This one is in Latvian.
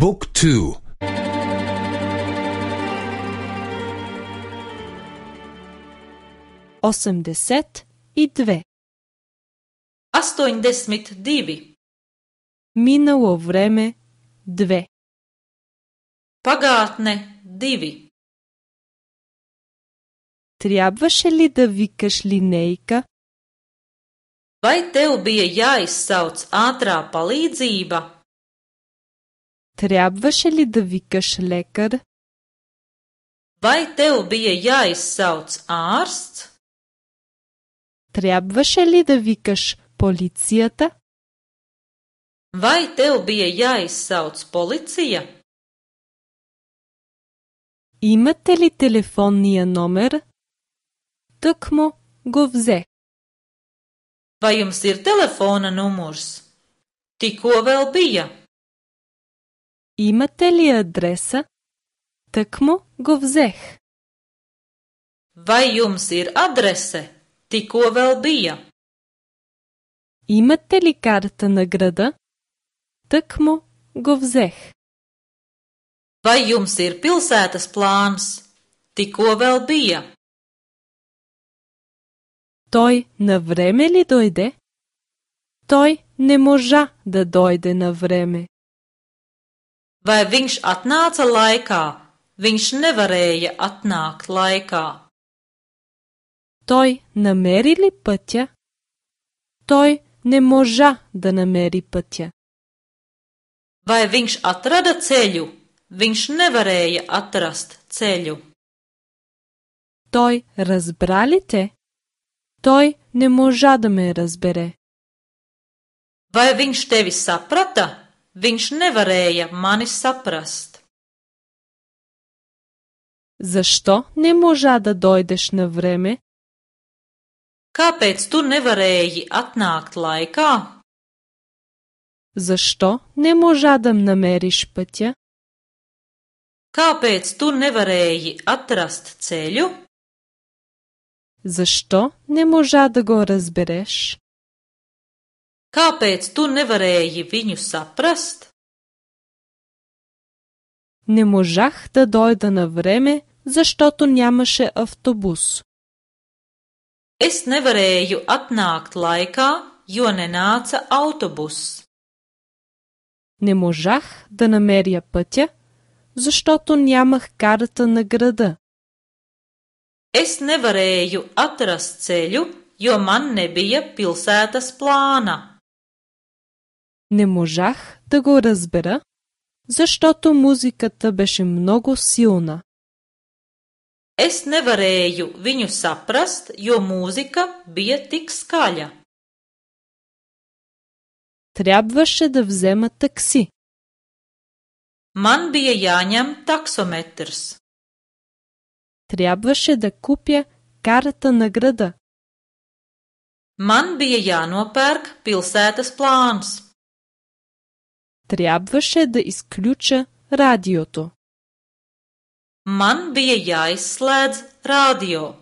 บุ๊กทู82. 82. Минало време 2. Pagātne 2. Трябваше ли да викаш линейка? Vai tev bija jāizsauc ātrā palīdzība? Трябваше ли да викаш лекар? Vai tev bija jāizsauc ārsts? Трябваше ли да викаш полицията? Vai tev bija jāizsauc policija? Имате ли телефонния номер? Тъкмо го взе. Vai jums ir telefona numurs? Tikko vēl bija. Имате ли адреса? Тъкмо го взех. Vai jums ir adrese? Tikko vēl bija. Имате ли карта на града? Тъкмо го взех. Vai jums ir pilsētas plāns? Tikko vēl bija. Той на време ли дойде? Той не можа да дойде на време. Vai viņš atnāca laikā? Viņš nevarēja atnākt laikā. Той намери ли пътя? Той не можа да намери пътя. Vai viņš atrada ceļu? Viņš nevarēja atrast ceļu. Той разбра ли те? Той не можа да ме разбере. Vai viņš tevi saprata? Viņš nevarēja mani saprast. Защо не можа да дойдеш на време? Kāpēc tu nevarēji atnākt laikā? Защо не можа да намериш пътя? Kāpēc tu nevarēji atrast ceļu? Защо не можа да го разбереш? Kāpēc tu nevarēji viņu saprast? Не можах да дойда на време, защото нямаше автобус. Es nevarēju atnākt laikā, jo nenāca autobuss. Не можах да намеря пътя, защото нямах карта на града. Es nevarēju atrast ceļu, jo man nebija pilsētas plāna. Не можах да го разбера, защото музиката беше много силна. Es nevarēju viņu saprast, jo mūzika bija tik skaļa. Трябваше да взема такси. Man bija jāņem taksometrs. Трябваше да купя карта на града. Man bija jānopērk pilsētas plāns. Трябваше да изключа радиото. Man bija jāizslēdz radio.